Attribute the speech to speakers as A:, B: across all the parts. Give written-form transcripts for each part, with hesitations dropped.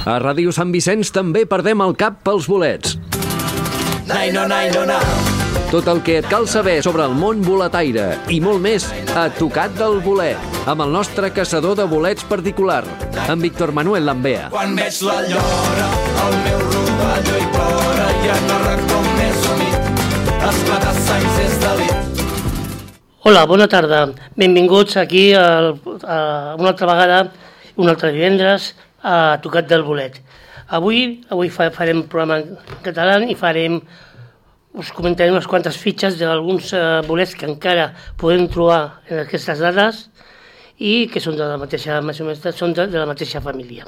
A: A Ràdio Sant Vicenç també perdem el cap pels bolets. Tot el que et cal saber sobre el món boletaire i molt més a Tocat del Bolet, amb el nostre caçador de bolets particular, en Víctor Manuel Lambea.
B: Quan veig la llora, el meu rovelló hi plora i en el racó més humit, esclatar sangs és delit.
C: Hola, bona tarda. Benvinguts aquí una altra vegada, un altre divendres, a Tocat del Bolet. Avui farem un programa en català i us comentaré unes quantes fitxes d'alguns bolets que encara podem trobar en aquestes dades i que són de la mateixa, més o menys, són de la mateixa família.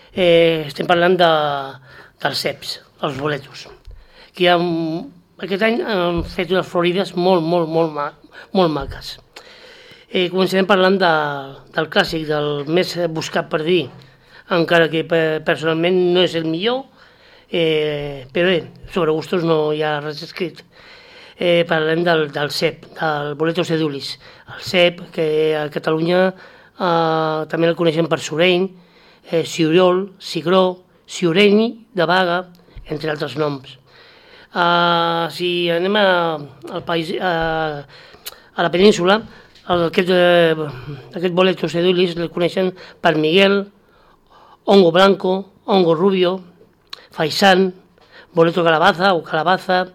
C: Estem parlant dels ceps, els boletos, que aquest any han fet unes florides molt maques. Començarem parlant del clàssic, del més buscat per dir, encara que personalment no és el millor, però bé, sobre gustos no hi ha res escrit. Parlem del cep, del boleto sedulis. El cep, que a Catalunya també el coneixem per sureny, ciurol, cigró, ciureny de Baga, entre altres noms. Si anem al país, a la península, aquest boleto sedulis el coneixen per Miguel, hongo blanco, hongo rubio, faisán, boleto calabaza o calabaza,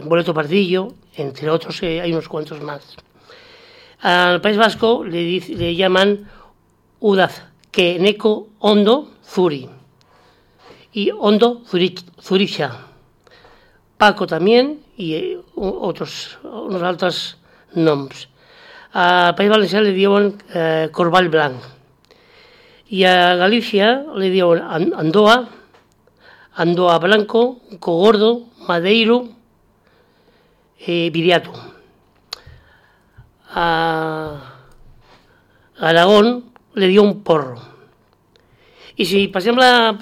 C: boleto pardillo, entre otros, hay unos cuantos más. Al País Vasco le llaman udazkeneco hondo zuri y hondo zuricha, Paco también y unos altres noms. Al País Valencià le diuen corball blanc. I a Galícia li diuen Andoa, Andoa Blanco, Cogordo, Madeiro, Viriato. A Aragón li diuen porro. I si passem la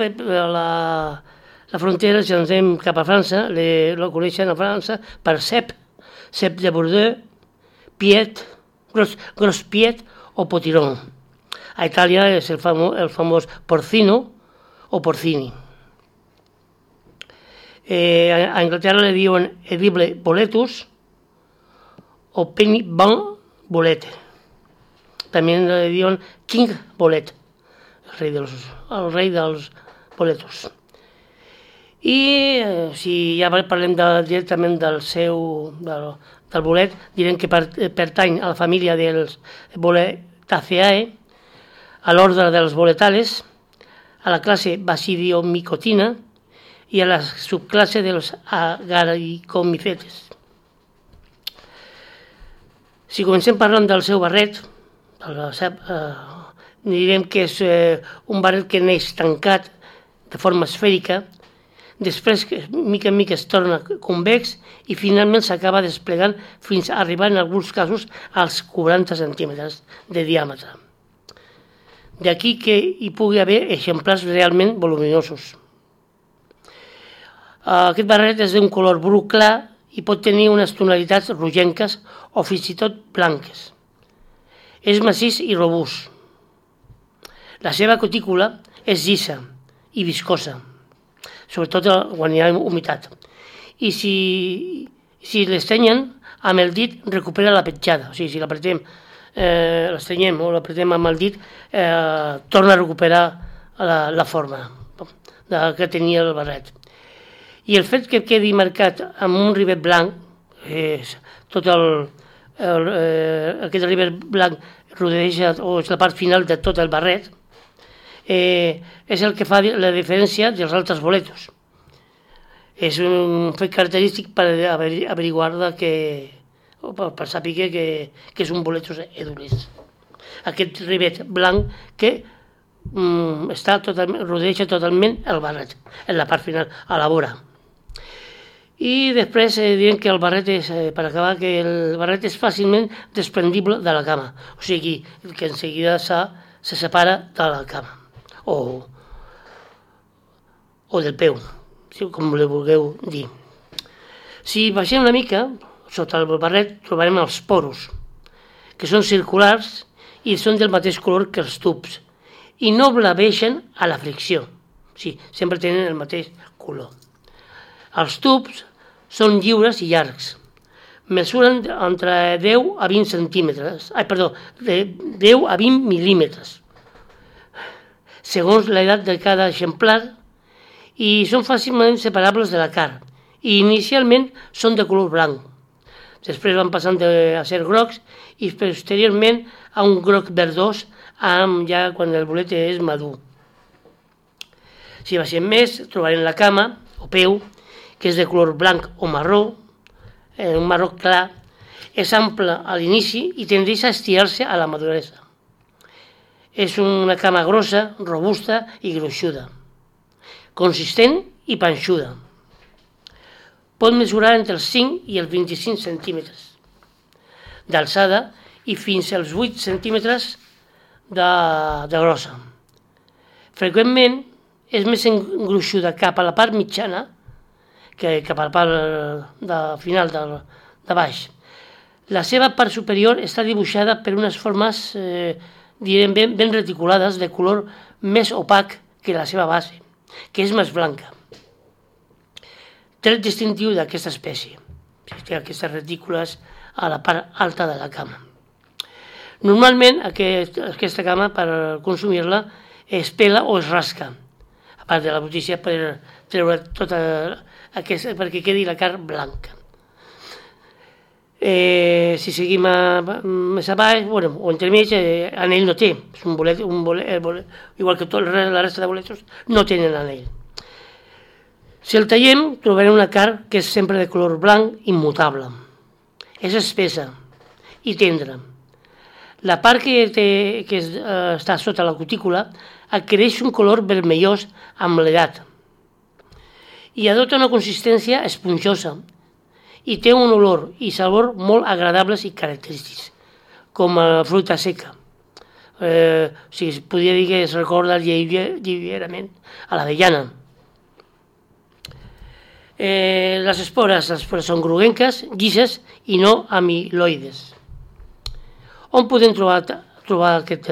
C: frontera, si ens anem cap a França, lo coneixen a França per cep, cep de Bordeaux, piet, gros piet o potirón. A Itàlia és el famós porcino o porcini. A Anglaterra le diuen edible boletus o penny bun bolete. També le diuen king bolet, el rei dels boletos. I si ja parlem directament del bolet, direm que pertany a la família dels Boletaceae, a l'ordre dels boletales, a la classe Basidiomicotina i a la subclasse dels agaricomíferes. Si comencem parlant del seu barret, direm que és un barret que neix tancat de forma esfèrica, després que mica en mica es torna convex i finalment s'acaba desplegant fins a arribar en alguns casos als 40 centímetres de diàmetre. D'aquí que hi pugui haver exemplars realment voluminosos. Aquest barret és d'un color bru clar i pot tenir unes tonalitats rogenques o fins i tot blanques. És massís i robust. La seva cutícula és llisa i viscosa, sobretot quan hi ha humitat. I si l'estrenyen, amb el dit recupera la petjada. O sigui, si l'estrenyem o l'apretem amb el dit, torna a recuperar la forma que tenia el barret. I el fet que quedi marcat amb un rivet blanc, tot aquest rivet blanc rodeja o és la part final de tot el barret, és el que fa la diferència dels altres boletos. És un fet característic per averiguar per saber que és un boleto edulis. Aquest rivet blanc que rodeja totalment el barret, en la part final, a la vora. I després direm que el barret és, per acabar, que el barret és fàcilment desprendible de la cama, o sigui que en seguida se separa de la cama o del peu, com li vulgueu dir. Si baixem una mica, sota el barret trobarem els poros, que són circulars i són del mateix color que els tubs, i no blaveixen a la fricció. Sí, sempre tenen el mateix color. Els tubs són lliures i llargs. Mesuren entre 10 a 20 centímetres. De 10 a 20 mil·límetres. Segons l'edat de cada exemplar, i són fàcilment separables de la carn. I inicialment són de color blanc. Després van passant a ser grocs i posteriorment a un groc verdós ja quan el bolet és madur. Si baixem més, trobarem la cama o peu, que és de color blanc o marró, un marró clar, és ample a l'inici i tendeix a estirar-se a la maduresa. És una cama grossa, robusta i gruixuda, consistent i panxuda. Pot mesurar entre els 5 i els 25 centímetres d'alçada i fins als 8 centímetres de grossa. Freqüentment és més engruixuda cap a la part mitjana que cap a la part final de baix. La seva part superior està dibuixada per unes formes ben reticulades de color més opac que la seva base, que és més blanca. Tret distintiu d'aquesta espècie, té aquestes retícules a la part alta de la cama. Normalment aquesta cama, per consumir-la, es pela o es rasca, a part de la brutícia per treure tota aquesta, perquè quedi la carn blanca. Si seguim més avall, o entremig, anell no té, és un bolet, igual que la resta de boletos, no tenen anell. Si el tallem, trobarem una carn que és sempre de color blanc immutable. És espessa i tendra. La part que està sota la cutícula adquireix un color vermellós amb l'edat i adopta una consistència esponjosa i té un olor i sabor molt agradables i característics, com a fruita seca. Podria dir que es recorda lleugerament a l'avellana. Les espores són groguenques, llises i no amiloides. On podem trobar aquest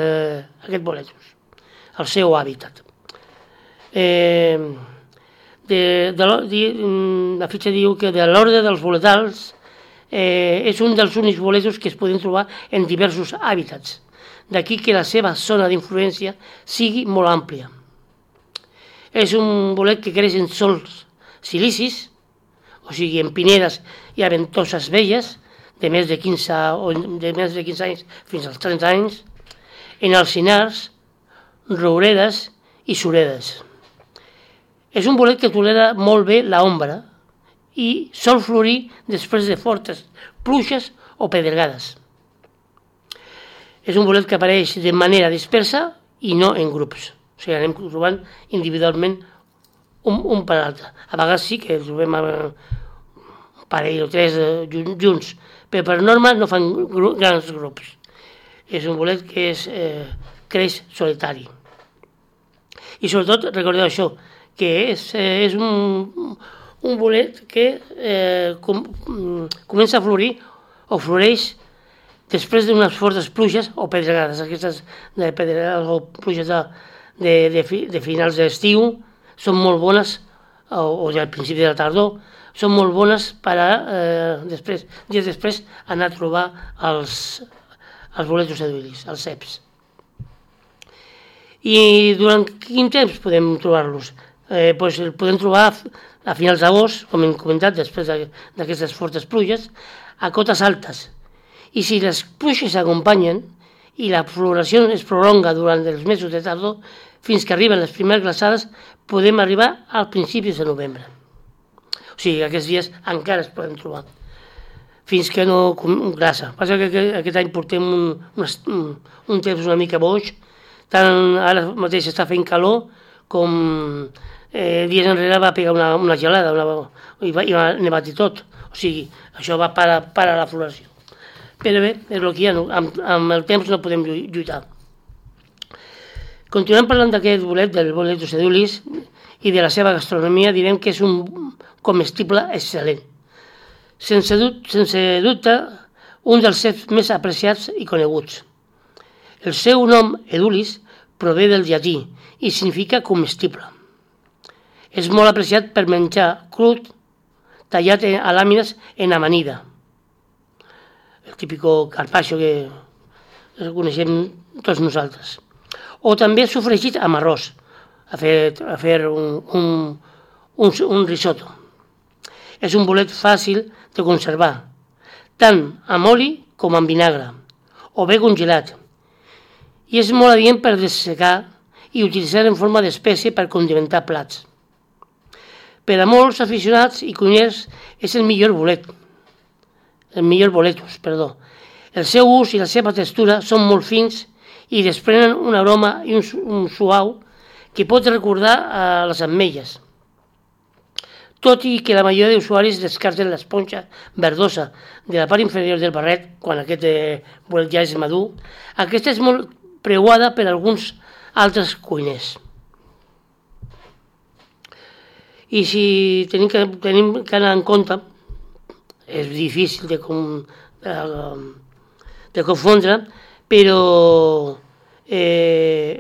C: boletus? El seu hàbitat. La fitxa diu que de l'ordre dels boletals és un dels únics boletus que es poden trobar en diversos hàbitats. D'aquí que la seva zona d'influència sigui molt àmplia. És un bolet que creix en sòls silicis, o sigui, en pinedes i a ventoses velles, de més de 15 anys fins als 30 anys, en alzinars, rouredes i suredes. És un bolet que tolera molt bé l'ombra i sol florir després de fortes pluges o pedregades. És un bolet que apareix de manera dispersa i no en grups. O sigui, anem trobant individualment un per l'altre. A vegades sí que trobem un parell o tres junts, però per norma no fan grans grups. És un bolet que creix solitari. I sobretot recordeu això, que és un bolet que comença a florir o floreix després d'unes fortes pluges o pedregades. Aquestes pedregades o pluges de finals d'estiu són molt bones, o al principi de la tardor, són molt bones per dies després anar a trobar els boletus edulis, els ceps. I durant quin temps podem trobar-los? El podem trobar a finals d'agost, com hem comentat, després d'aquestes fortes pluges, a cotes altes. I si les pluges s'acompanyen i la floració es prolonga durant els mesos de tardor, fins que arriben les primeres glaçades, podem arribar als principis de novembre. O sigui, aquests dies encara es poden trobar, fins que no glaça. Passa que aquest any portem un temps una mica boig, tant ara mateix està fent calor com dies enrere va pegar una gelada i va nevat i tot. O sigui, això va parar la floració. Però bé, és el que hi ha, amb el temps no podem lluitar. Continuem parlant d'aquest bolet, del boletus edulis, i de la seva gastronomia, direm que és un comestible excel·lent. Sense dubte, un dels ceps més apreciats i coneguts. El seu nom, edulis, prové del llatí i significa comestible. És molt apreciat per menjar crud, tallat a làmines en amanida. El típic carpaccio que coneixem tots nosaltres. O també sofregit amb arròs, a fer un risotto. És un bolet fàcil de conservar, tant amb oli com amb vinagre, o bé congelat. I és molt adient per dessecar i utilitzar en forma d'espècie per condimentar plats. Per a molts aficionats i cuiners és el millor boletus. El seu ús i la seva textura són molt fins i desprenen un aroma i un suau que pot recordar a les ametlles. Tot i que la majoria d'usuaris descarten l'esponja verdosa de la part inferior del barret quan aquest bolet ja és madur, aquesta és molt preuada per alguns altres cuiners. I si tenim que anar en compte, és difícil de confondre, però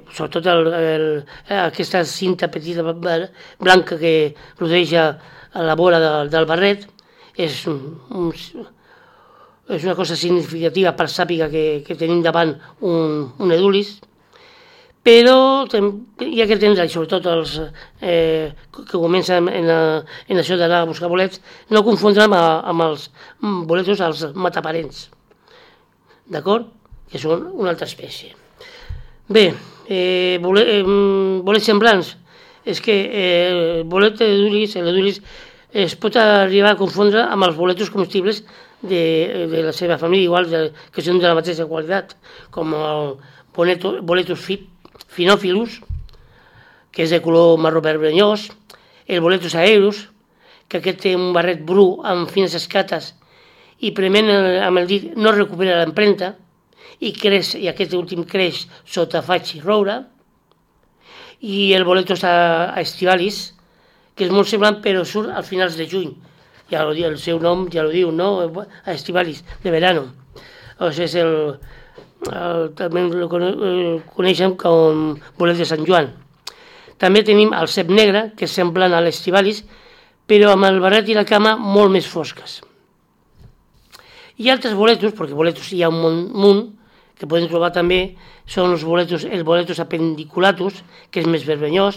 C: sobretot aquesta cinta petita blanca que rodeja a la vora del barret és una cosa significativa per sàpiga que tenim davant un edulis, però hi ha que entendre, sobretot els que comencen en això d'anar a buscar bolets, no confondre amb els boletos, els mataparents, d'acord? Que són una altra espècie. Bé, bolets semblants, és que el bolet l'edulis es pot arribar a confondre amb els boletos comestibles de la seva família, igual que són de la mateixa qualitat, com el boletus Phaeophilus, que és de color marró vermellós, el boletus aerus, que aquest té un barret bru amb fines escates i prement amb el dit no recupera l'empremta i aquest últim creix sota faig i roure, i el boletus estivalis, que és molt semblant però surt al finals de juny, ja el seu nom ja ho diu, no? Estivalis, de verano. O sigui, també el coneixem com bolet de Sant Joan. També tenim el cep negre, que és semblant a l'estivalis, però amb el barret i la cama molt més fosques. Hi ha altres boletus, perquè boletus hi ha un munt, que podem trobar també, són els boletus appendiculatus, que és més vermellós,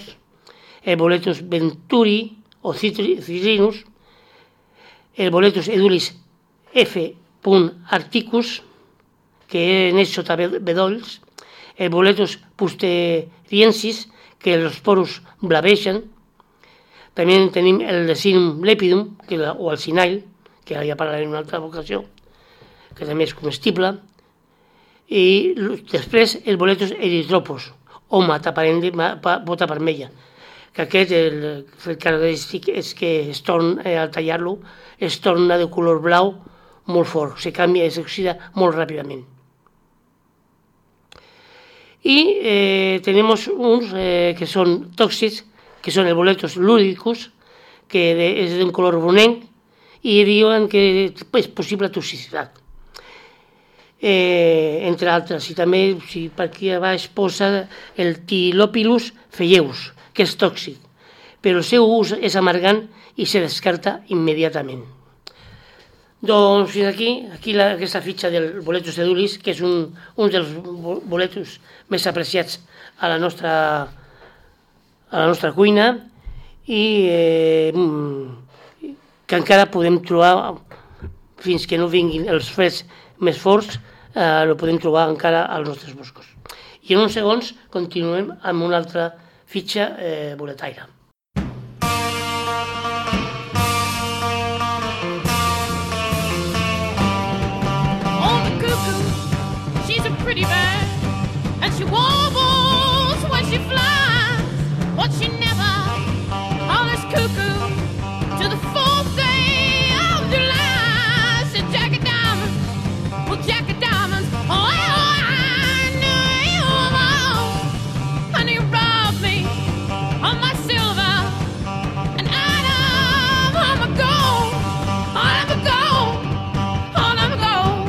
C: el boletus venturi o citrinus, el boletus edulis F. articus, que neix sota bedolls, el boletus pusteriensis, que els porus blaveixen. També tenim el Decinum lepidum, o el cinail, que ja parlarem en una altra ocasió, que també és comestible. I després el boletus erythropus, o pota vermella, que aquest el característic és que al tallar-lo es torna de color blau molt fort, s'oxida molt ràpidament. I tenim uns que són tòxics, que són el boletus ludicus, que és d'un color brunenc, i diuen que és possible toxicitat. Entre altres, i també per aquí a baix posa el Tylopilus phaeus, que és tòxic, però el seu ús és amargant i se descarta immediatament. Doncs fins aquí aquesta fitxa del boletus edulis, que és un dels boletus més apreciats a la nostra cuina i que encara podem trobar, fins que no vinguin els freds més forts, el podem trobar encara als nostres boscos. I en uns segons continuem amb una altra fitxa boletaire.
D: Pretty bird, and she warbles when she flies, but she never hollers cuckoo to the 4th day of July. Said Jack of Diamonds, well Jack of Diamonds, oh I knew you all, and you robbed me of my silver, and out of my gold, all of my gold, all of my gold.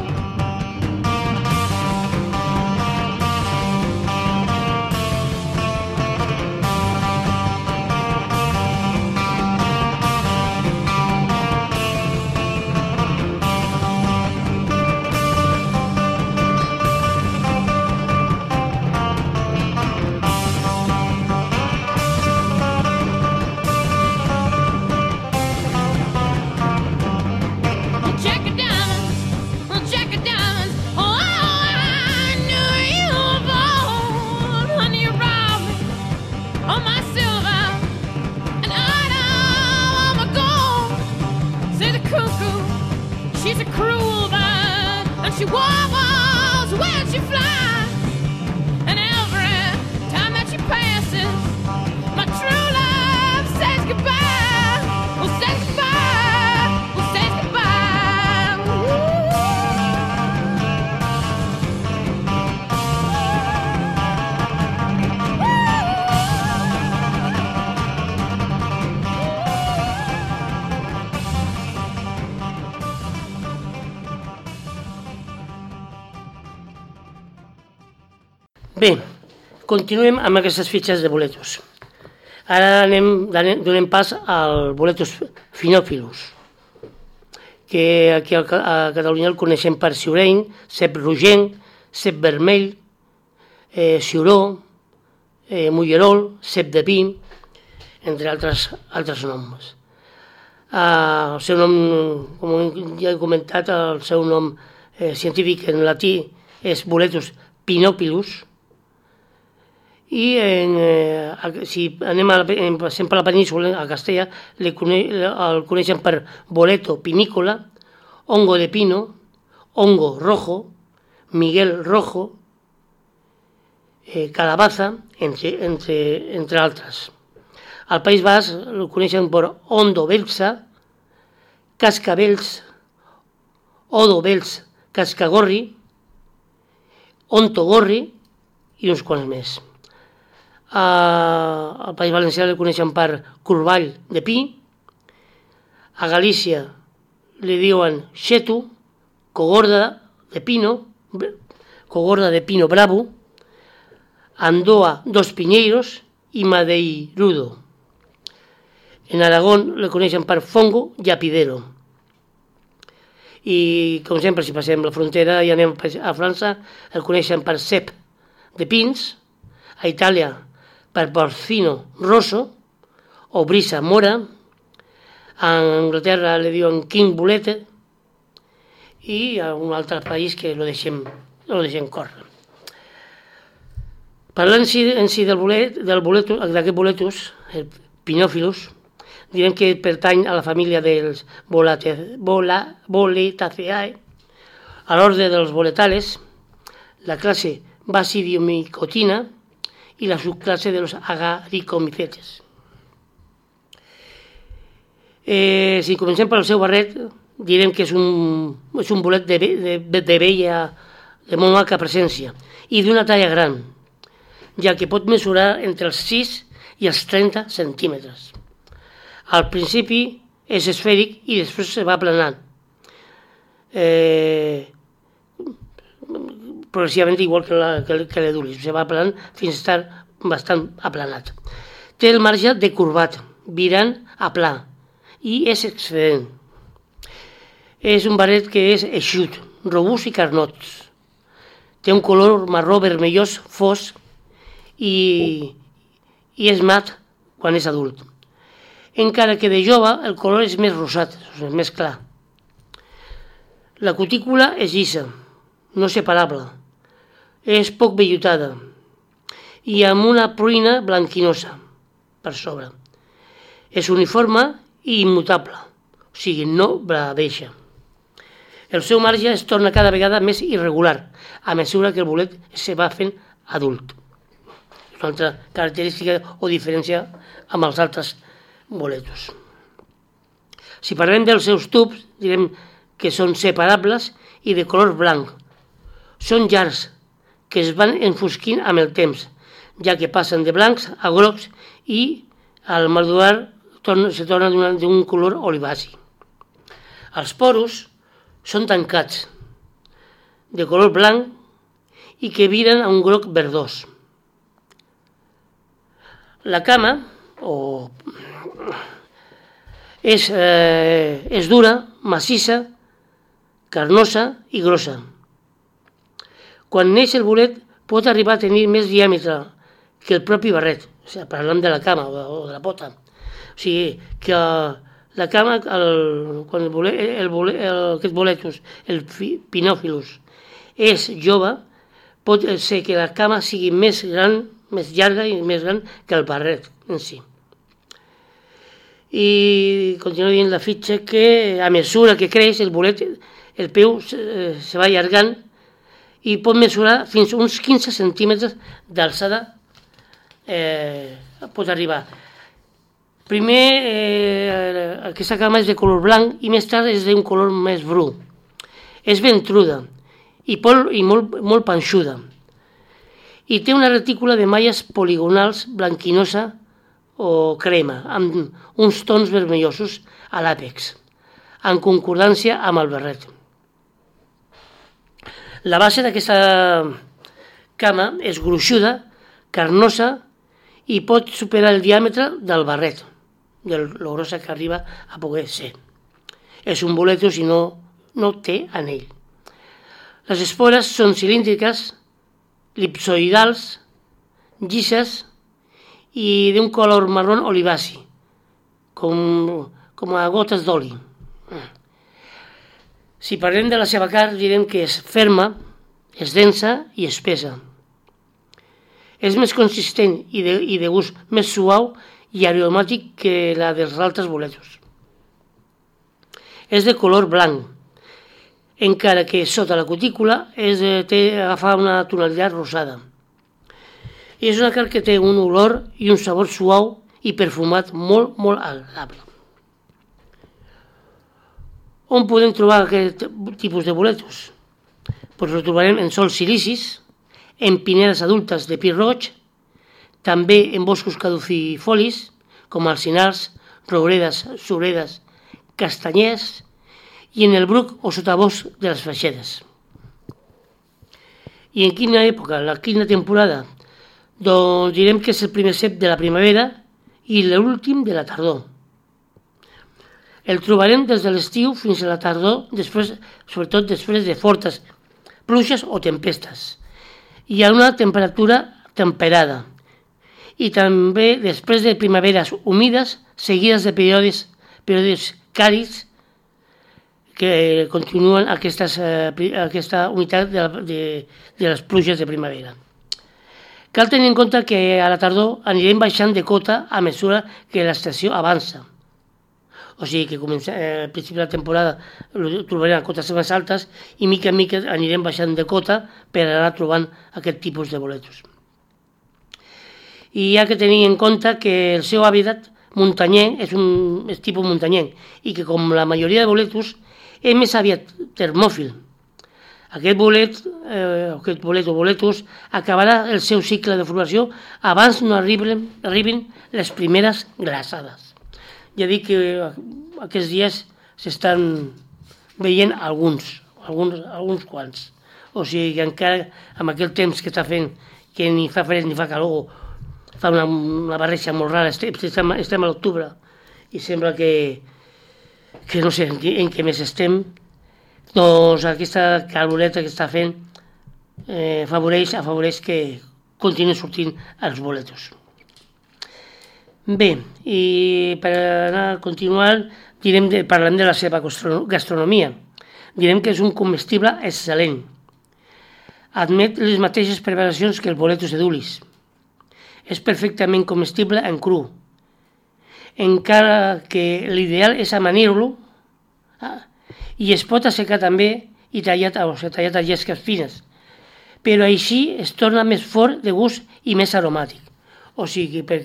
C: Bé, continuem amb aquestes fitxes de boletos. Ara donem pas al boletos finòfilus, que aquí a Catalunya el coneixem per ciureny, cep rogenc, cep vermell, ciuró, mullerol, cep de pi, entre altres noms. El seu nom, com ja he comentat, el seu nom científic en latí és boletus pinopilus, i si anem sempre a la península, a Castella, el coneixen per boleto pinícola, hongo de pino, hongo rojo, Miguel rojo, calabaza, entre altres. Al País Basc el coneixen per ondo belsa, cascabels, odo bels, cascagorri, ontogorri i uns quants més. Al País Valencià el coneixen per corball de pi, a Galícia li diuen xetu, cogorda de pino bravo, Andoa dos piñeiros i madeirudo. En Aragón el coneixen per fongo llapidero. I, com sempre, si passem la frontera i anem a França, el coneixen per cep de pins, a Itàlia per porcino rosso o brisa mora, a Anglaterra li diuen king bulete i a un altre país que lo deixem córrer. Parlant en si d'aquest boletus, el pinòfilus, direm que pertany a la família dels Boletaceae, a l'ordre dels boletales, la classe Basidiomicotina i la subclasse de los agaricomicetes. Si comencem pel seu barret, direm que és un bolet de bella, de molt maca presència i d'una talla gran, ja que pot mesurar entre els 6 i els 30 centímetres. Al principi és esfèric i després se va aplanant. Progressivament igual que l'edulis, se va aplanant fins a estar bastant aplanat. Té el marge decurvat, virant a pla, i és excedent. És un barret que és eixut, robust i carnot. Té un color marró vermellós fosc i és mat quan és adult. Encara que de jove el color és més rosat, és més clar. La cutícula és llisa, no separable, és poc vellutada i amb una pruina blanquinosa per sobre. És uniforme i immutable, o sigui, no bradeixa. El seu marge es torna cada vegada més irregular a mesura que el bolet se va fent adult. És una altra característica o diferència amb els altres boletos. Si parlem dels seus tubs, direm que són separables i de color blanc. Són llargs, que es van enfosquint amb el temps, ja que passen de blancs a grocs i al madurar se torna d'un color olivaci. Els poros són tancats, de color blanc i que viren a un groc verdós. La cama és dura, massissa, carnosa i grossa. Quan neix el bolet pot arribar a tenir més diàmetre que el propi barret, o sigui, parlant de la cama o de la pota. O sigui, que la cama, aquest boletus, el pinòfilus, és jove, pot ser que la cama sigui més gran, més llarga i més gran que el barret en si. I continuo dient la fitxa que a mesura que creix el bolet, el peu se va allargant i pot mesurar fins a uns 15 centímetres d'alçada, pot arribar. Primer, aquesta cama és de color blanc i més tard és d'un color més bru. És ventruda i molt panxuda. I té una retícula de malles poligonals blanquinosa o crema, amb uns tons vermellosos a l'àpex, en concordància amb el barret. La base d'aquesta cama és gruixuda, carnosa i pot superar el diàmetre del barret, de lo grossa que arriba a poder ser. És un boletus i no té anell. Les espores són cilíndriques, elipsoidals, llises i d'un color marró olivaci, com a gotes d'oli. Si parlem de la seva carn, direm que és ferma, és densa i espessa. És més consistent i de gust més suau i aromàtic que la dels altres boletos. És de color blanc, encara que sota la cutícula agafa una tonalitat rosada. I és una carn que té un olor i un sabor suau i perfumat molt, molt agradable. On podem trobar aquest tipus de boletos? Pues ho trobarem en sols silicis, en pinedes adultes de pi roig, també en boscos caducifolis, com alzinars, rouredes, suredes, castanyers, i en el bruc o sotabosc de les freixedes. I en quina època, la quina temporada? Doncs direm que és el primer cep de la primavera i l'últim de la tardor. El trobarem des de l'estiu fins a la tardor, sobretot després de fortes pluges o tempestes. Hi ha una temperatura temperada i també després de primaveres humides seguides de períodes càlids que continuen aquesta unitat de les pluges de primavera. Cal tenir en compte que a la tardor anirem baixant de cota a mesura que l'estació avança. O sigui que al principi de la temporada trobarem cotes més altes i mica en mica anirem baixant de cota per anar trobant aquest tipus de boletos. I hi ha que tenir en compte que el seu hàbitat muntanyenc és tipus muntanyenc i que com la majoria de boletos és més aviat termòfil. Aquest bolet o boletus acabarà el seu cicle de floració abans no arribin les primeres glaçades. Ja dic que aquests dies s'estan veient alguns quants. O sigui que encara amb aquell temps que està fent, que ni fa fred ni fa calor, fa una barreja molt rara, estem a l'octubre i sembla que no sé en què més estem, doncs aquesta caloreta que està fent afavoreix que continuïn sortint els boletos. Bé, i per anar a continuar parlem de la seva gastronomia. Direm que és un comestible excel·lent. Admet les mateixes preparacions que el boletus edulis. És perfectament comestible en cru, encara que l'ideal és amanir-lo i es pot assecar també i tallat a llesques fines, però així es torna més fort de gust i més aromàtic. O sigui, per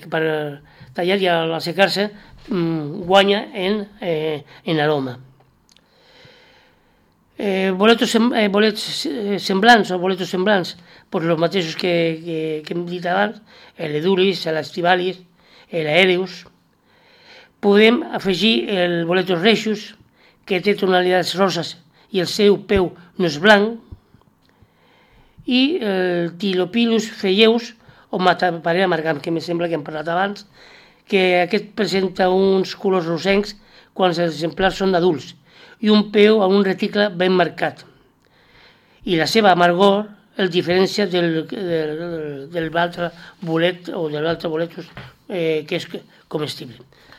C: tallar i al assecar-se guanya en aroma. Bolets semblants, doncs els mateixos que hem dit abans, l'edulis, l'estivalis, l'aereus. Podem afegir el boletus reixus, que té tonalitats roses i el seu peu no és blanc, i el Tylopilus feieus, o mataparera amargam, que em sembla que hem parlat abans, que aquest presenta uns colors rosencs quan els exemplars són adults i un peu amb un reticle ben marcat. I la seva amargor el diferència de l'altre bolet o de l'altre boletus que és comestible.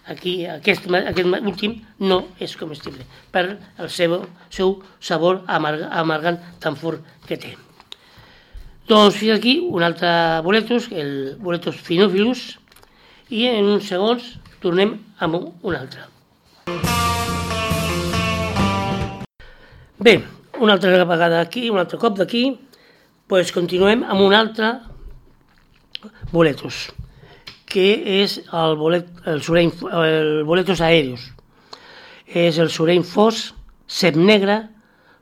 C: Aquí aquest últim no és comestible per el seu sabor amargant tan fort que té. Doncs fins aquí un altre boletus, el boletus phenophilus, i en uns segons tornem amb un altre. Bé, una altra vegada aquí, un altre cop d'aquí, doncs continuem amb un altre boletus, que és el boletus aèreus. És el sureny fos, cep negre,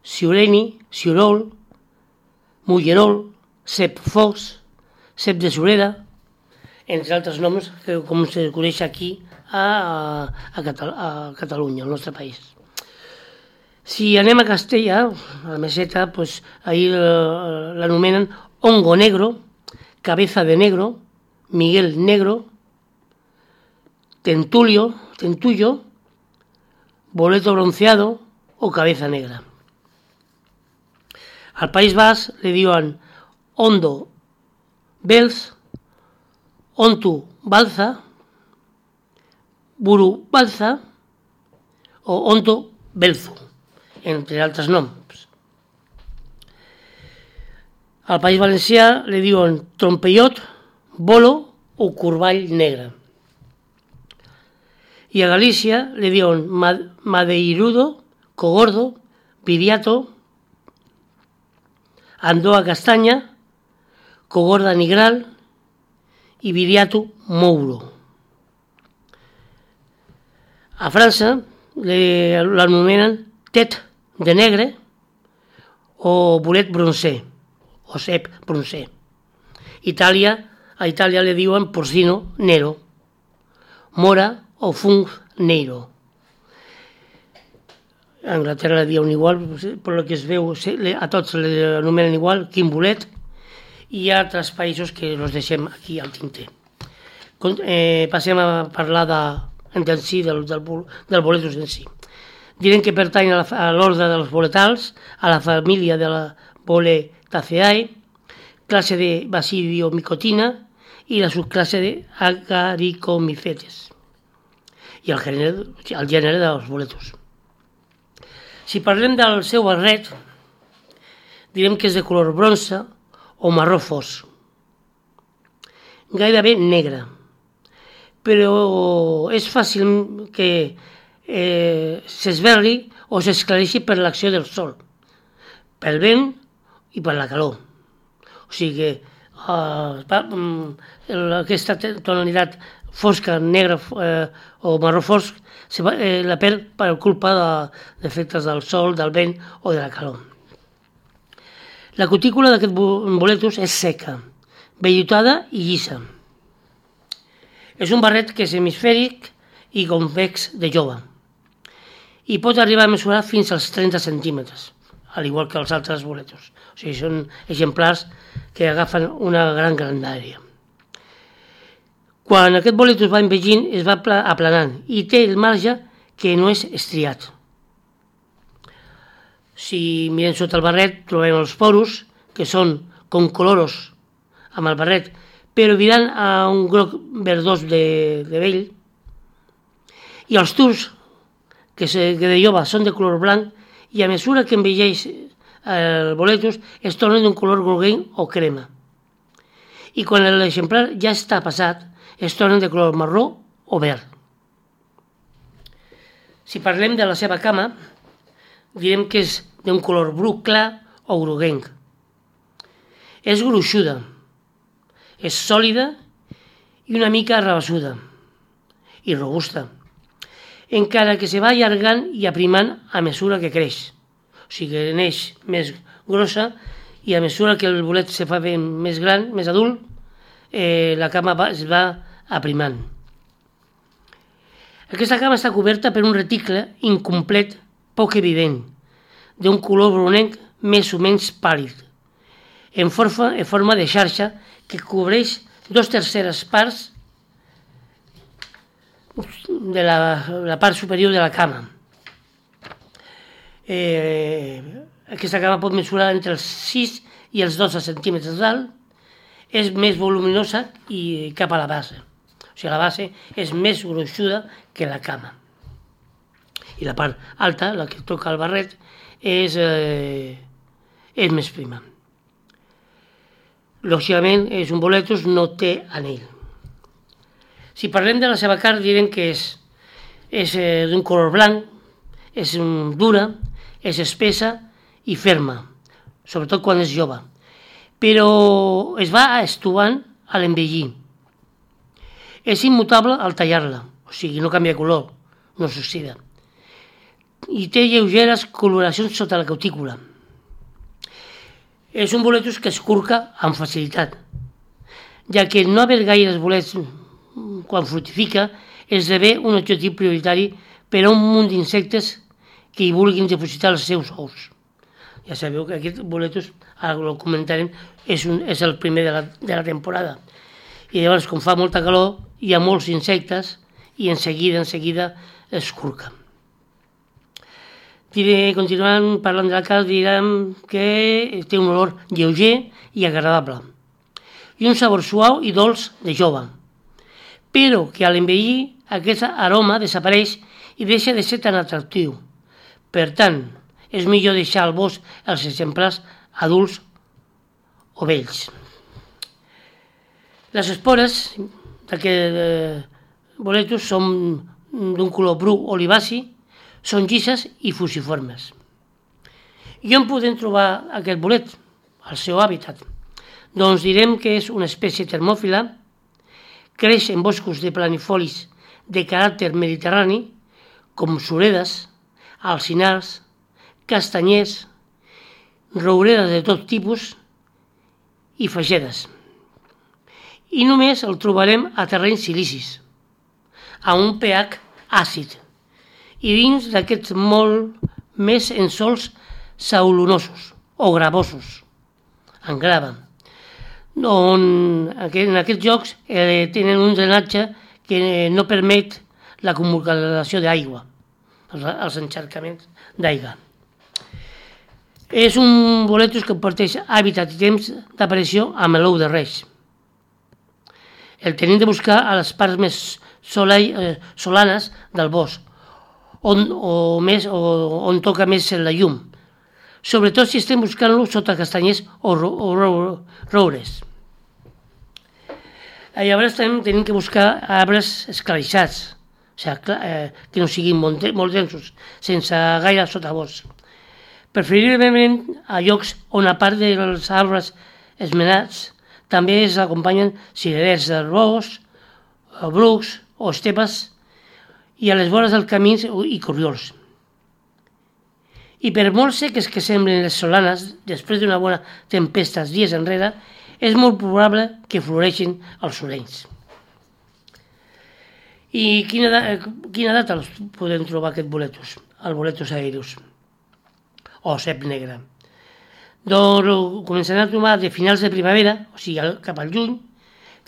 C: siureni, siurol, mullerol, cep fox, cep de sureda, entre altres noms que com se coneix aquí a Catalunya, al nostre país. Si anem a Castella, a la Meseta, doncs ahir l'anomenen hongo negro, cabeza de negro, Miguel negro, tentullo, boleto bronceado o cabeza negra. Al País Basc li diuen ondo belz, ontu balza, buru balza o onto belzu, entre altres noms. Al País Valencià li diuen trompellot, bolo o corball negre. I a Galícia li diuen madeirudo, cogordo, viriato, andoa castanya, cogorda nigral i viriato mouro. A França l'anomenen tet de negre o bolet broncer o cep broncer. A Itàlia li diuen porcino nero, mora o fung neiro. A Anglaterra li diuen igual, per el que es veu, a tots l'anomenen igual, quin bolet, i hi ha altres països que els deixem aquí al tinter. Passem a parlar del boletus en si. Direm que pertany a l'ordre dels boletals, a la família de la Boletaceae, classe de Basidiomicotina i la subclasse de Agaricomycetes i el gènere dels boletus. Si parlem del seu barret, direm que és de color bronze o marró fosc, gairebé negre, però és fàcil que s'esberli o s'esclareixi per l'acció del sol, pel vent i per la calor. O sigui que aquesta tonalitat fosca, negra o marró fosc la perd per culpa d'efectes del sol, del vent o de la calor. La cutícula d'aquest boletus és seca, vellutada i llisa. És un barret que és hemisfèric i convex de jove i pot arribar a mesurar fins als 30 centímetres, al igual que els altres boletus. O sigui, són exemplars que agafen una gran grandària. Quan aquest boletus va envellint es va aplanant i té el marge que no és estriat. Si mirem sota el barret trobem els porus, que són concoloros amb el barret, però virant a un groc verdós de vell, i els tubs, que de jove són de color blanc, i a mesura que envelleix el boletus es tornen d'un color groguenc o crema. I quan l'exemplar ja està passat, es tornen de color marró o verd. Si parlem de la seva cama, direm que és d'un color bru clar o groguenc. És gruixuda, és sòlida i una mica arrabassuda i robusta, encara que se va allargant i aprimant a mesura que creix. O sigui que neix més grossa i a mesura que el bolet se fa més gran, més adult, la cama es va aprimant. Aquesta cama està coberta per un reticle incomplet, poc evident, d'un color brunenc més o menys pàl·lid, en forma de xarxa que cobreix 2/3 parts de la part superior de la cama. Aquesta cama pot mesurar entre els 6 i els 12 centímetres d'alt, és més voluminosa i cap a la base. O sigui, la base és més gruixuda que la cama. I la part alta, la que toca el barret, és més prima. Lògicament, és un boletus, no té anell. Si parlem de la seva carn, direm que és d'un color blanc, és dura, és espessa i ferma, sobretot quan és jove, però es va estovant a l'envellir. És immutable al tallar-la, o sigui, no canvia de color, no s'oxida. I té lleugeres coloracions sota la cutícula. És un boletus que es curca amb facilitat, ja que no haver gaires bolets quan fructifica esdevé un objectiu prioritari per a un munt d'insectes que hi vulguin dipositar els seus ous. Ja sabeu que aquest boletos, ara ho comentarem, és el primer de la temporada. I llavors, com fa molta calor, hi ha molts insectes i en seguida es curca. Continuant parlant de la carn, direm que té un olor lleuger i agradable i un sabor suau i dolç de jove, però que a l'envellir aquest aroma desapareix i deixa de ser tan atractiu. Per tant, és millor deixar al bosc els exemplars adults o vells. Les espores d'aquest boletus són d'un color bru olivaci, són llises i fusiformes. I on podem trobar aquest bolet? Al seu hàbitat. Doncs direm que és una espècie termòfila, creix en boscos de planifolis de caràcter mediterrani, com suredes, alzinars, castanyers, rouredes de tot tipus i fagedes. I només el trobarem a terrenys silicis, a un pH àcid, i dins d'aquests molt més en sòls saulonosos o gravosos, en grava, on en aquests llocs tenen un drenatge que no permet l'acumulació d'aigua, els encharcaments d'aigua. És un boletus que comparteix hàbitat i temps d'aparició amb l'ou de reix. El tenim de buscar a les parts més solanes del bosc, on toca més la llum, sobretot si estem buscant-lo sota castanyers o roures. Llavors també tenim que buscar arbres esclarissats, que no siguin molt densos, sense gaire sotabosc. Preferiblement a llocs on a part dels arbres esmenats també es acompanyen cirerers del bosc, brucs o estepes i a les vores dels camins i corriols. I per molt seques que semblen les solanes, després d'una bona tempesta dies enrere, és molt probable que floreixin els surenys. I quina data els podem trobar aquest boletus? El boletus aereus, o cep negre. Doncs començarem a trobar de finals de primavera, o sigui cap al juny,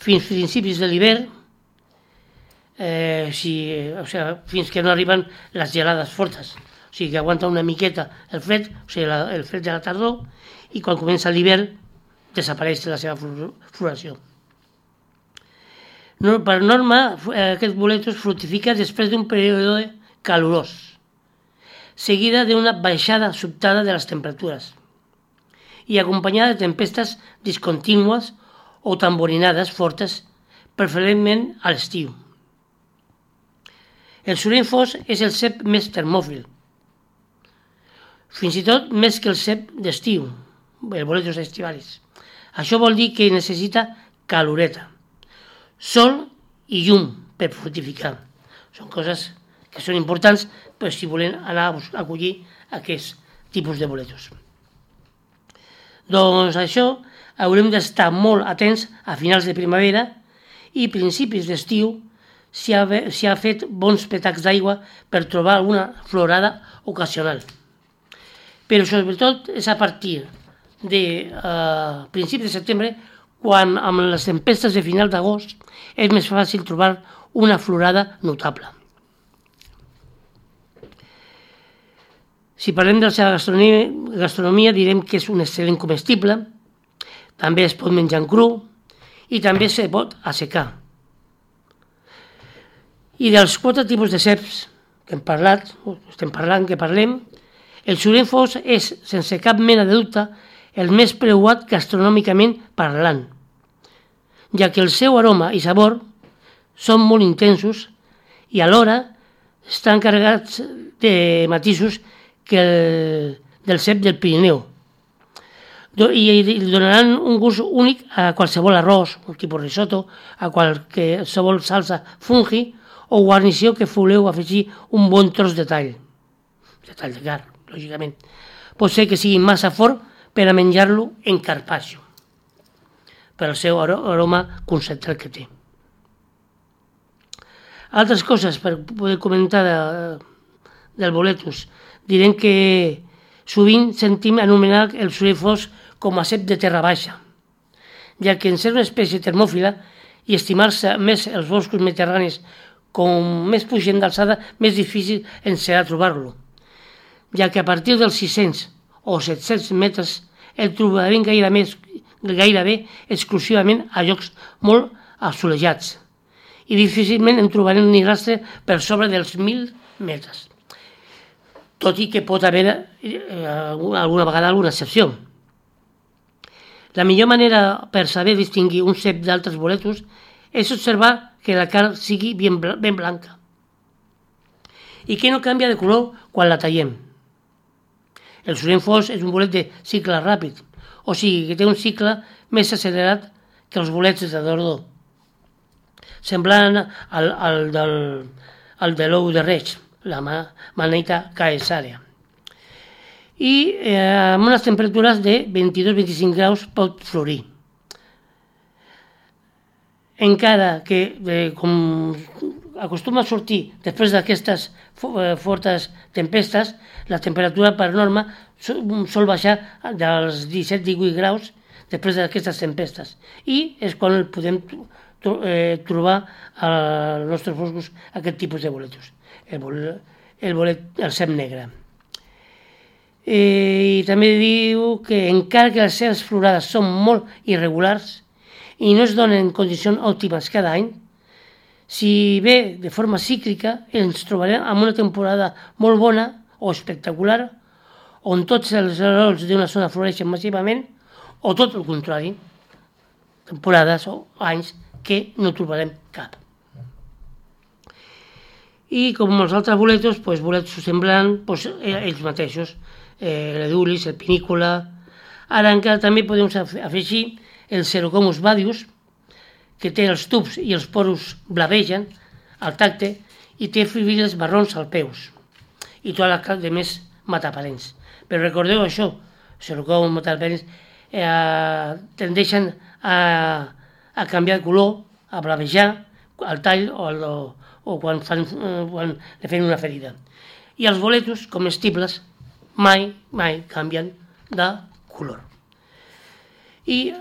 C: fins principis de l'hivern, fins que no arriben les gelades fortes. O sigui que aguanta una miqueta el fred, o sigui el fred de la tardor, i quan comença l'hivern desapareix la seva floració. Per norma, aquest boletus fructifica després d'un període calorós, seguida d'una baixada sobtada de les temperatures i acompanyada de tempestes discontínues o tamborinades fortes, preferentment a l'estiu. El sureny fos és el cep més termòfil, fins i tot més que el cep d'estiu, el boletus estivalis. Això vol dir que necessita caloreta, sol i llum per fructificar. Són coses que són importants si volem anar a collir aquests tipus de boletus. Doncs això haurem d'estar molt atents a finals de primavera i principis d'estiu si ha fet bons petacs d'aigua per trobar alguna florada ocasional. Però sobretot és a partir de principis de setembre, quan amb les tempestes de final d'agost és més fàcil trobar una florada notable. Si parlem de la seva gastronomia, direm que és un excel·lent comestible, també es pot menjar en cru i també se pot assecar. I dels 4 tipus de ceps que parlem, el sureny fos és, sense cap mena de dubte, el més preuat gastronòmicament parlant, ja que el seu aroma i sabor són molt intensos i alhora estan carregats de matisos que del cep del Pirineu i donaran un gust únic a qualsevol arròs, un tipus risotto, a qualsevol salsa fungi o guarnició que voleu afegir un bon tros de tall de carn, lògicament. Pot ser que sigui massa fort per a menjar-lo en carpaccio, per el seu aroma concentrat que té. Altres coses per poder comentar del boletus. Direm que Sovint sentim anomenar el sorell fosc com a cep de terra baixa, ja que en ser una espècie termòfila i estimar-se més els boscos mediterranis com més pugem d'alçada, més difícil ens serà trobar-lo, ja que a partir dels 600 o 700 metres el trobarem gairebé exclusivament a llocs molt assolellats i difícilment en trobarem ni rastre per sobre dels 1.000 metres, tot i que pot haver alguna vegada alguna excepció. La millor manera per saber distingir un cep d'altres boletos és observar que la carn sigui ben blanca i que no canvia de color quan la tallem. El sorell fosc és un bolet de cicle ràpid, o sigui que té un cicle més accelerat que els bolets de Dordo, semblant al de l'ou de reig, la Manita caesarea. I amb unes temperatures de 22-25 graus pot florir. Encara que, com acostuma a sortir després d'aquestes fortes tempestes, la temperatura per norma sol baixar dels 17-18 graus després d'aquestes tempestes i és quan podem trobar als nostres boscos aquest tipus de boletos, el cep negre. I també diu que encara que les seves florades són molt irregulars i no es donen condicions òptimes cada any, si ve de forma cíclica ens trobarem amb una temporada molt bona o espectacular on tots els arrels d'una zona floreixen massivament, o tot el contrari, temporades o anys que no trobarem cap. I com els altres boletos, boletos semblants, ells mateixos, l'edulis, el pinícola. Ara encara també podem afegir el Cerocomus badius, que té els tubs i els poros blavegen al tacte i té fibrils marrons als peus i tota la carn de més mataparents. Però recordeu això, Cerocomus mataparents tendeixen a canviar de color, a blavejar al tall o quan li fan una ferida. I els boletos comestibles mai canvien de color. I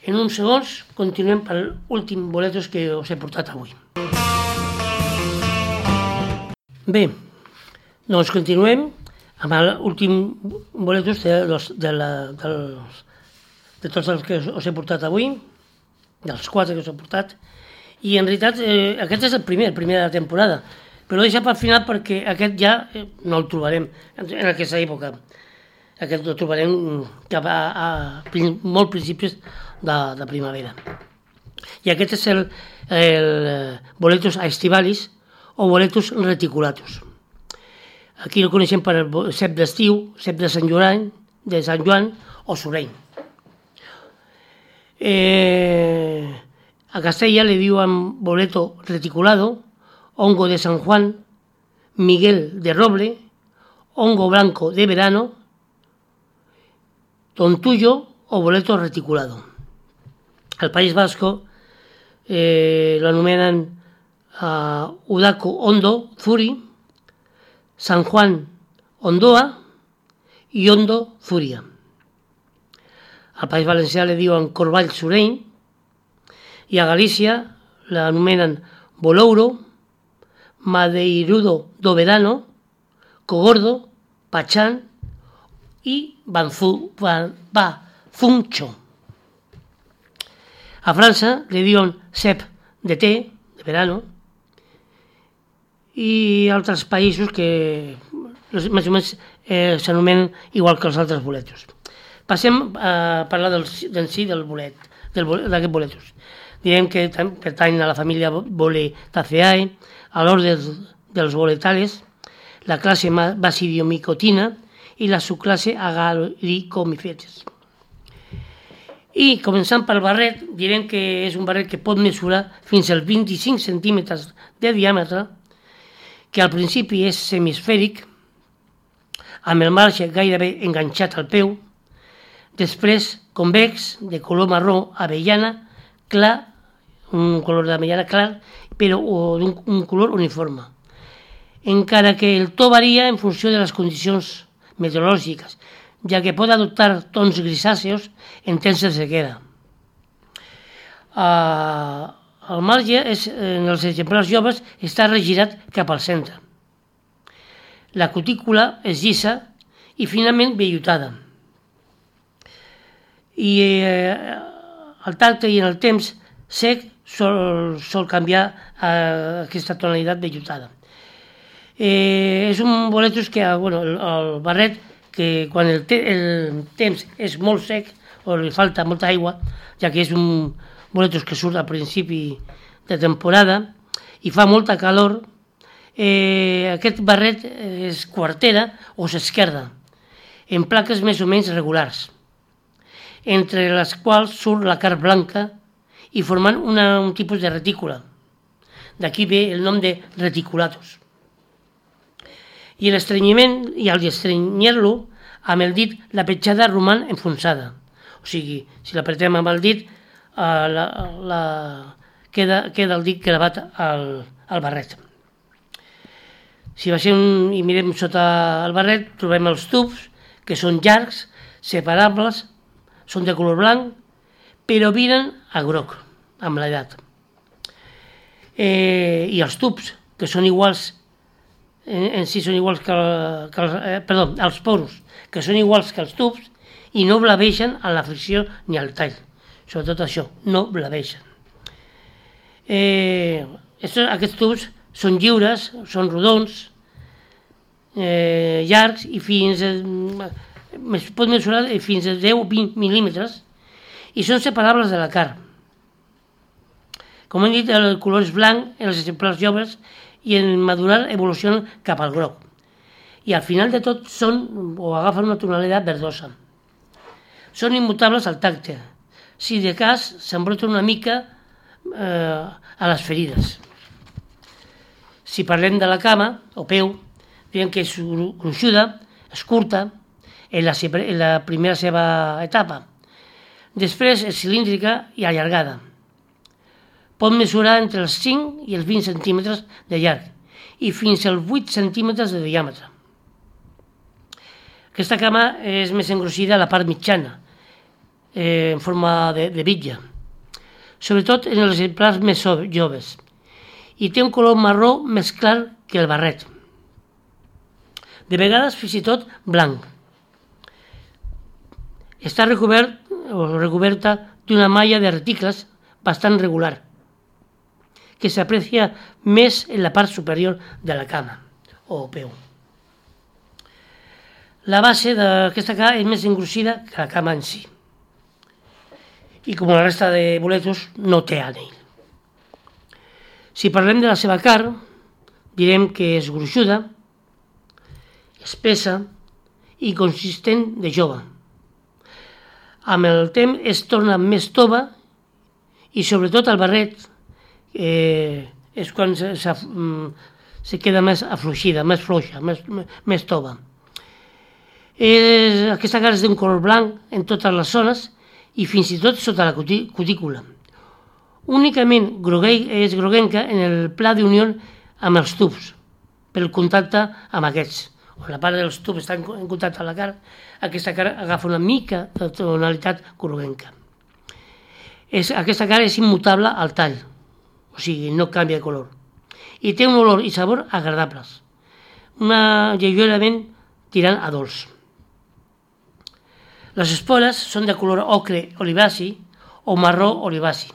C: en uns segons continuem per l'últim boletos que us he portat avui. Bé, doncs continuem amb l'últim boletos de tots els que us he portat avui, dels 4 que us he portat, i en realitat aquest és el primer de la temporada, però deixa per final perquè aquest ja no el trobarem en aquesta època. Aquest el trobarem cap a molt principis de primavera. I aquest és el boletus aestivalis o boletus reticulatus. Aquí el coneixem per el cep d'estiu, cep de Sant Joan o sorell. A Castella le diuen boleto reticulado, hongo de San Juan, Miguel de Roble, hongo blanco de verano, tontullo o boleto reticulado. Al País Vasco lo anomenen Udaco Hondo Zuri, San Juan Ondoa i Hondo Zuria. Al País Valencià le diuen Corball Sorell i a Galícia l'anomenen Bolouro, Madeirudo do Verano, Cogordo, Pachán i Bafuncho. A França le diuen cep de té, de verano, i altres països que més o menys s'anomenen igual que els altres boletos. Passem a parlar d'aquest boletos. Direm que pertany a la família Boletaceae, a l'ordre dels boletales, la classe Basidiomicotina i la subclasse Agaricomycetes. I començant pel barret, direm que és un barret que pot mesurar fins als 25 centímetres de diàmetre, que al principi és semisfèric, amb el marge gairebé enganxat al peu, després convex, de color marró avellana, clar, un color d'avellana clar, però d'un color uniforme. Encara que el to varia en funció de les condicions meteorològiques, ja que pot adoptar tons grisàceos en temps de sequera. El marge en els exemplars joves està regirat cap al centre. La cutícula és llisa i finament vellutada. I al tacte i en el temps sec sol canviar a aquesta tonalitat vellutada. És un boletus que, el barret, que quan el temps és molt sec o li falta molta aigua, ja que és un boletus que surt al principi de temporada i fa molta calor, aquest barret es quartera o s'esquerda en plaques més o menys regulars, entre les quals surt la carn blanca i formant un tipus de retícula. D'aquí ve el nom de reticulatus. I l'estrenyiment, i al estrenyir-lo, amb el dit la petjada roman enfonsada. O sigui, si l'apretem amb el dit, queda el dit gravat al barret. Si baixem i mirem sota el barret, trobem els tubs, que són llargs, separables, són de color blanc, però viren a groc amb l'edat. I els tubs, que són iguals, en si són iguals els poros, que són iguals que els tubs i no blaveixen a la fricció ni al tall. Sobretot això, no blaveixen. Aquests tubs són lliures, són rodons, llargs i es pot mesurar fins a 10-20 mil·límetres i són separables de la carn. Com hem dit, el color és blanc en els exemplars joves i en madurar evolucionen cap al groc. I al final de tot agafen una tonalitat verdosa. Són immutables al tacte. Si de cas s'embroten una mica a les ferides. Si parlem de la cama o peu, veiem que és gruixuda, és curta, en la primera seva etapa. Després és cilíndrica i allargada. Pot mesurar entre els 5 i els 20 centímetres de llarg i fins als 8 centímetres de diàmetre. Aquesta cama és més engrossida a la part mitjana, en forma de bitlla, sobretot en els exemplars més joves, i té un color marró més clar que el barret. De vegades fins i tot blanc. Està recoberta d'una malla de reticles bastant regular, que s'aprecia més en la part superior de la cama o peu. La base d'aquesta cama és més engrossida que la cama en si. I com la resta de boletus, no té ànell. Si parlem de la seva carn, direm que és gruixuda, espessa i consistent de jove. Amb el temps es torna més tova i sobretot el barret és quan se queda més afluixida, més fluixa, més tova. Aquesta carn és d'un color blanc en totes les zones i fins i tot sota la cutícula. Únicament és groguenca en el pla d'unió amb els tubs, pel contacte amb aquests. On la part dels tubs està en contacte amb la carn, aquesta carn agafa una mica de tonalitat groguenca. Aquesta carn és immutable al tall, o sigui, no canvia de color. I té un olor i sabor agradables, lleugerament tirant a dolç. Les espores són de color ocre olivaci o marró olivaci.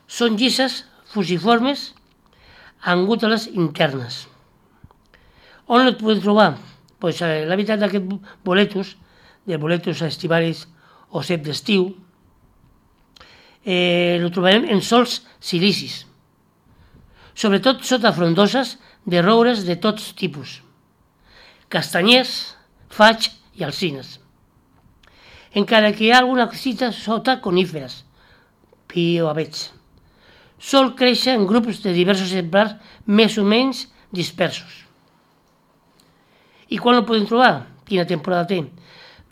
C: Són llises, fusiformes, amb gúteles internes. On el podem trobar? Pues l'hàbitat d'aquest boletus, de boletus estivalis o cep d'estiu, el trobarem en sòls silicis, sobretot sota frondoses de roures de tots tipus, castanyers, faig i alzines. Encara que hi ha alguna cosita sota coníferes, pi o avets. Sol créixer en grups de diversos exemplars més o menys dispersos. I quan el podem trobar? Quina temporada té?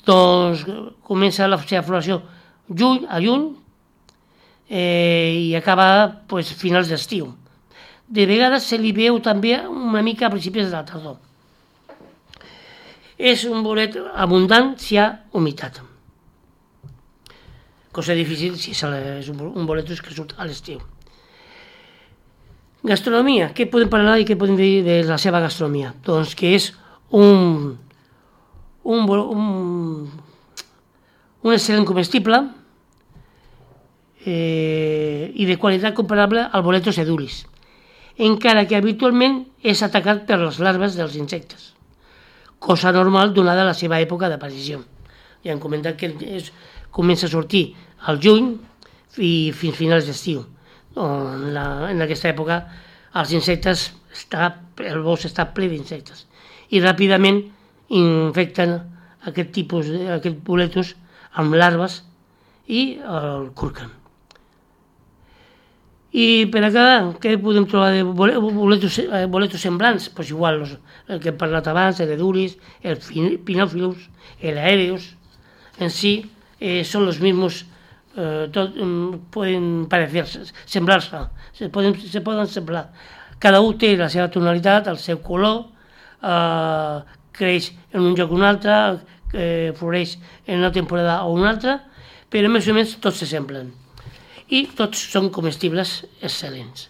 C: Doncs comença la seva floració a juny i acaba finals d'estiu. De vegades se li veu també una mica a principis de la tardor. És un bolet abundant si hi ha humitat. Cosa difícil si és un bolet que surt a l'estiu. Gastronomia. Què podem parlar i què podem dir de la seva gastronomia? Doncs que és un excel·lent comestible i de qualitat comparable al boletus edulis, encara que habitualment és atacat per les larves dels insectes, cosa normal donada la seva època d'aparició. Ja hem comentat que comença a sortir al juny i fins finals d'estiu. En aquesta època els insectes, el bosc està ple d'insectes i ràpidament infecten aquest boletus amb larves i el curquen. I per acabar, què podem trobar de boletus semblants? Pues igual, el que hem parlat abans, l'edulis, el pinòfilus, l'aereus, en si són els mismos, poden parecer, semblar-se, se poden semblar. Cada un té la seva tonalitat, el seu color, creix en un lloc o un altre, floreix en una temporada o una altra, però més o menys tots s'assemblen. I tots són comestibles excel·lents.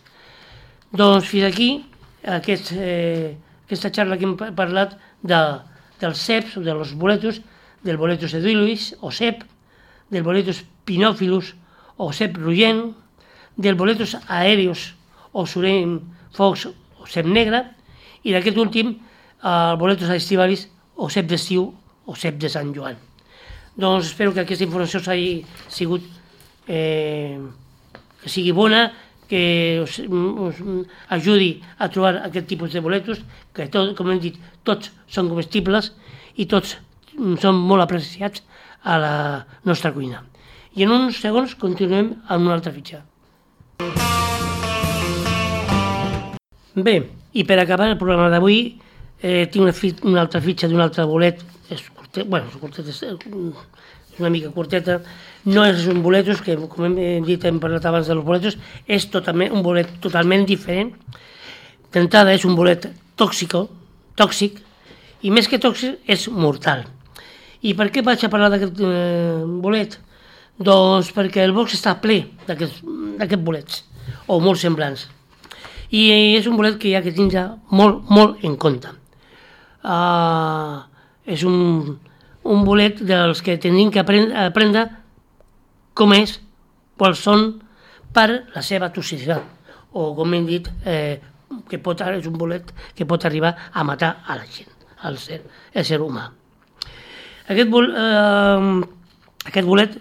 C: Doncs fins aquí aquesta xarra que hem parlat dels ceps, dels boletus, del boletus edulis o cep, del boletus pinòfilus o cep rugent, del boletus aereus o surem fox o cep negre, i d'aquest últim el boletus estivalis o cep d'estiu o cep de Sant Joan. Doncs espero que aquesta informació s'hagi sigut que sigui bona, que us ajudi a trobar aquest tipus de boletus, que com hem dit, tots són comestibles i tots són molt apreciats a la nostra cuina. I en uns segons continuem amb una altra fitxa. Bé, i per acabar el programa d'avui tinc una altra fitxa d'un altre bolet. És una mica curteta, no és un boletus, que com hem dit, hem parlat abans dels boletus, és un bolet totalment diferent. D'entrada és un bolet tòxic, i més que tòxic és mortal. I per què vaig a parlar d'aquest bolet? Doncs perquè el box està ple d'aquests bolets, o molt semblants. I és un bolet que hi ha que tindre molt en compte. És un bolet dels que tenim que aprendre com és, quals són, per la seva toxicitat, o com hem dit, és un bolet que pot arribar a matar a la gent, el ser humà. Aquest bolet,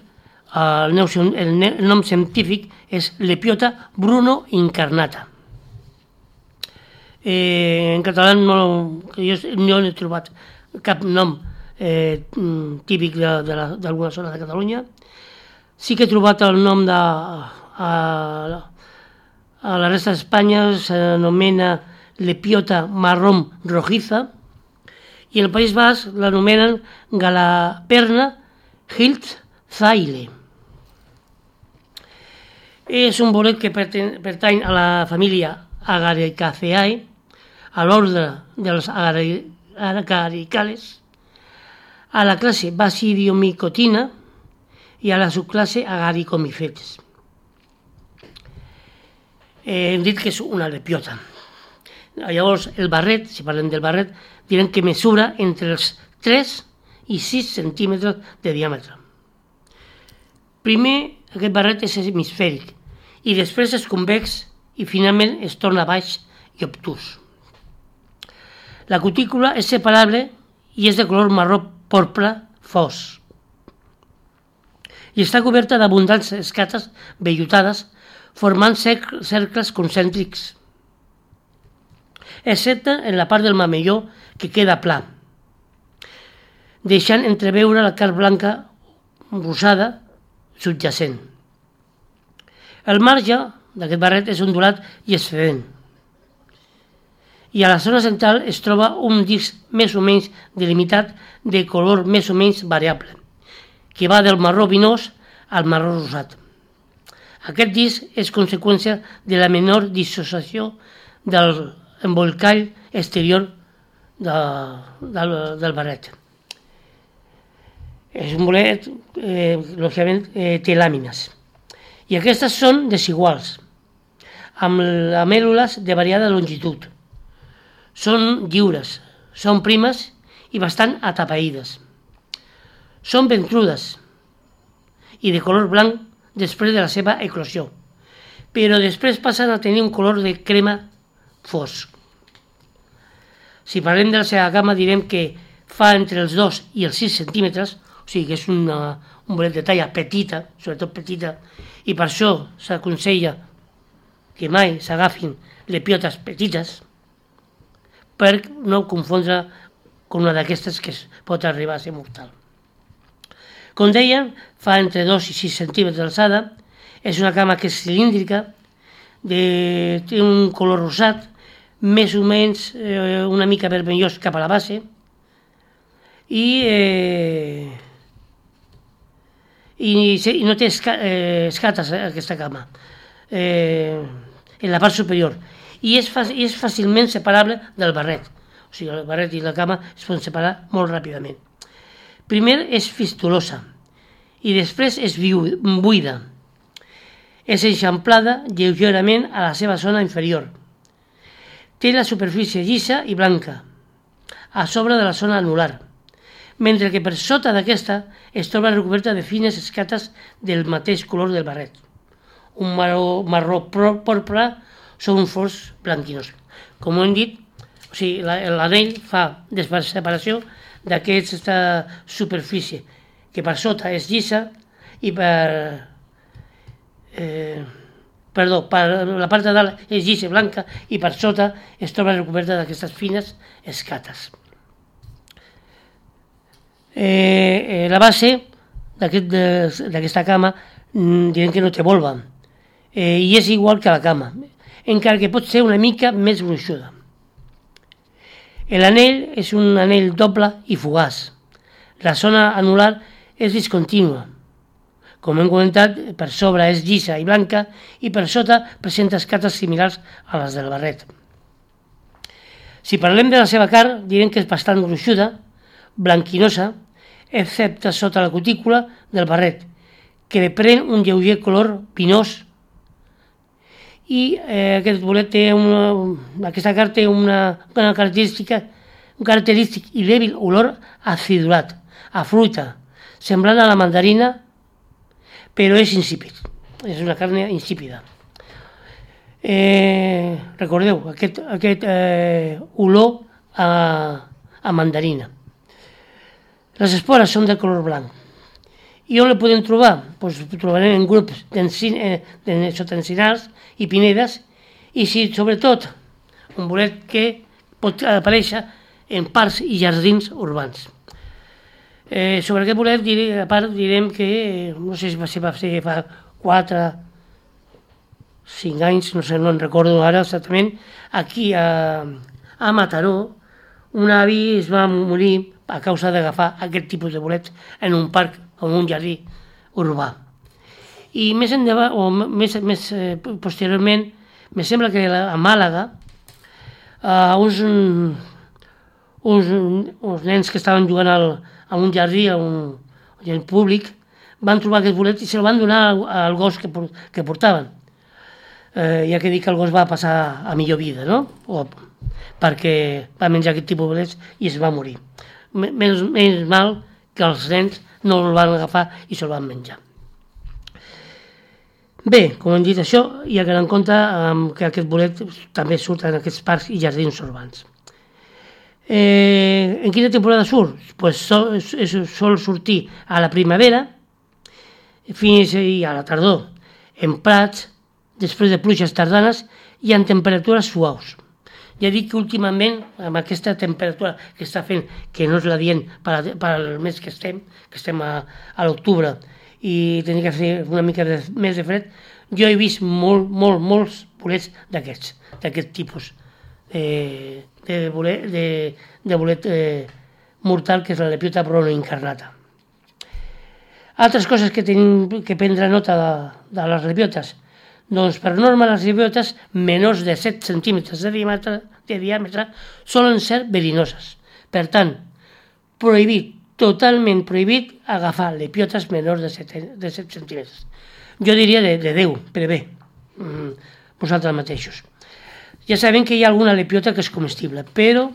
C: el nom científic és Lepiota bruno incarnata. En català jo no he trobat cap nom típic d'alguna zona de Catalunya. Sí que he trobat el nom a la resta d'Espanya, s'anomena Lepiota marrón rojiza, i en el País Basc l'anomenen Galaperna hiltzaile. És un bolet que pertany a la família Agaricaceae, a l'ordre dels agaricales, a la classe Basidiomicotina i a la subclasse Agaricomycetes. Hem dit que és una lepiota. Llavors, el barret, si parlem del barret, direm que mesura entre els 3 i 6 centímetres de diàmetre. Primer, aquest barret és hemisfèric i després és convex i finalment es torna baix i obtús. La cutícula és separable i és de color marró porpra fos. I està coberta d'abundants escates vellutades formant cercles concèntrics, excepte en la part del mamelló que queda pla, deixant entreveure la carn blanca rosada subjacent. El marge d'aquest barret és ondulat i excedent. I a la zona central es troba un disc més o menys delimitat de color més o menys variable, que va del marró vinós al marró rosat. Aquest disc és conseqüència de la menor dissociació de l'embolcall exterior del barret. És un bolet, lògicament, té làmines. I aquestes són desiguals, amb lamèl·lules de variada longitud. Són lliures, són primes i bastant atapeïdes. Són ventrudes i de color blanc després de la seva eclosió, però després passen a tenir un color de crema fosc. Si parlem de la seva gamma direm que fa entre els 2 i els 6 centímetres, o sigui que és un bolet de talla petita, sobretot petita, i per això s'aconsella que mai s'agafin lepiotes petites per no confondre amb una d'aquestes que pot arribar a ser mortal. Com deia, fa entre 2 i 6 centímetres d'alçada, és una cama que és cilíndrica, té un color rosat, més o menys una mica vermellós cap a la base, i no té escates aquesta cama en la part superior, i és fàcilment separable del barret. O sigui, el barret i la cama es poden separar molt ràpidament. Primer és fistulosa i després és buida. És eixamplada lleugerament a la seva zona inferior. Té la superfície llisa i blanca a sobre de la zona anular, mentre que per sota d'aquesta es troba recoberta de fines escates del mateix color del barret, un marró porpra sobre un fons blanquinós. Com hem dit, o sigui, l'anell fa separació d'aquesta superfície, que per sota és llisa i per la part de dalt és llisa i blanca i per sota es troba recoberta d'aquestes fines escates. La base d'aquesta cama direm que no té volva i és igual que la cama, encara que pot ser una mica més gruixuda. L'anell és un anell doble i fugaç. La zona anular és discontínua. Com hem comentat, per sobre és llisa i blanca i per sota presenta escates similars a les del barret. Si parlem de la seva carn, direm que és bastant gruixuda, blanquinosa, excepte sota la cutícula del barret, que li pren un lleuger color vinós, i aquest bolet té aquesta carn té un característic i dèbil olor acidulat, a fruita, semblant a la mandarina, però és insípid, és una carn insípida. Recordeu, aquest olor a mandarina. Les espores són de color blanc. I on la podem trobar? Doncs ho trobarem en grups sotencinals i pinedes, i sobretot un bolet que pot aparèixer en parcs i jardins urbans. Sobre aquest bolet, a part, direm que, no sé si va ser fa 4 5 anys, no sé, no en recordo ara exactament, aquí a Mataró, un avi es va morir a causa d'agafar aquest tipus de bolets en un parc o en un jardí urbà. I més endavant, o més posteriorment, me sembla que a Màlaga, uns nens que estaven jugant a un jardí, a un públic, van trobar aquest bolet i se'l van donar al gos que portaven. Ja que dic que el gos va passar a millor vida, no? Perquè va menjar aquest tipus de bolets i es va morir. Menys mal que els nens no el van agafar i se'l van menjar. Bé, com hem dit això, hi ha que tenir en compte que aquest bolet també surt en aquests parcs i jardins urbans. En quina temporada surt? Pues sol sortir a la primavera fins a la tardor, en prats, després de pluges tardanes i en temperatures suaus. Ja dic que últimament, amb aquesta temperatura que està fent, que no és la dient per al mes que estem a l'octubre, i tenir que fer una mica més de fred, jo he vist molts bolets d'aquest tipus de bolet mortal, que és la lepiota pronoincarnata. Altres coses que tenim que prendre nota de les lepiotes. Doncs per norma les lepiotes menors de 7 centímetres de de diàmetre solen ser verinoses. Per tant, prohibit, totalment prohibit, agafar lepiotes menors de 7 centímetres. Jo diria de 10, però bé, vosaltres mateixos. Ja sabem que hi ha alguna lepiota que és comestible, però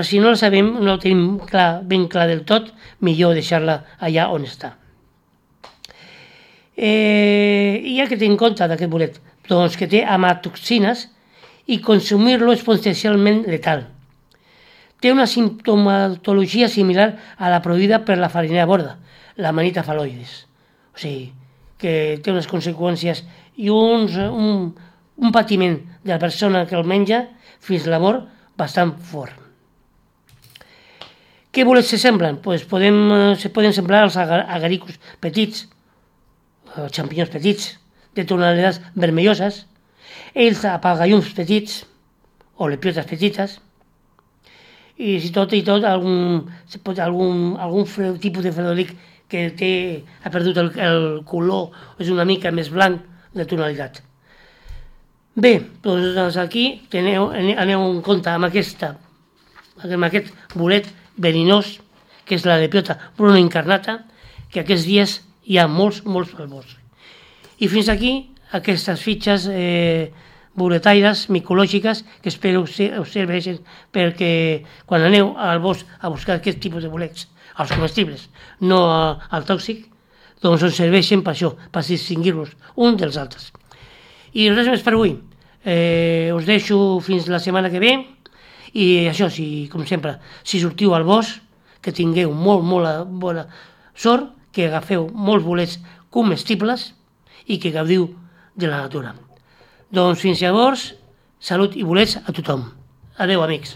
C: si no la sabem, no la tenim ben clar del tot, millor deixar-la allà on està. I ha que tenir en compte d'aquest bolet, doncs que té amatoxines i consumir-lo és potencialment letal. Té una simptomatologia similar a la produïda per la farinera borda, la manita faloides. O sigui, que té unes conseqüències i un patiment de la persona que el menja fins a la mort bastant fort. Què bolets se semblen? Se poden semblar els agaricus petits, xampinyons petits, de tonalitats vermelloses, els apagallums petits, o lepiotes petites, i si tot algun tipus de fredolic que ha perdut el color, és una mica més blanc de tonalitat. Bé, doncs aquí aneu en compte amb aquest bolet verinós, que és la lepiota bruna incarnata, que aquests dies hi ha molts al bosc. I fins aquí aquestes fitxes boletaires micològiques que espero us serveixin perquè quan aneu al bosc a buscar aquest tipus de bolets, els comestibles, no al tòxic, doncs us serveixen per això, per distingir-los un dels altres. I res més per avui. Us deixo fins la setmana que ve i això, com sempre, si sortiu al bosc, que tingueu molt bona sort, que agafeu molts bolets comestibles i que gaudiu de la natura. Doncs fins llavors, salut i bolets a tothom. Adeu, amics.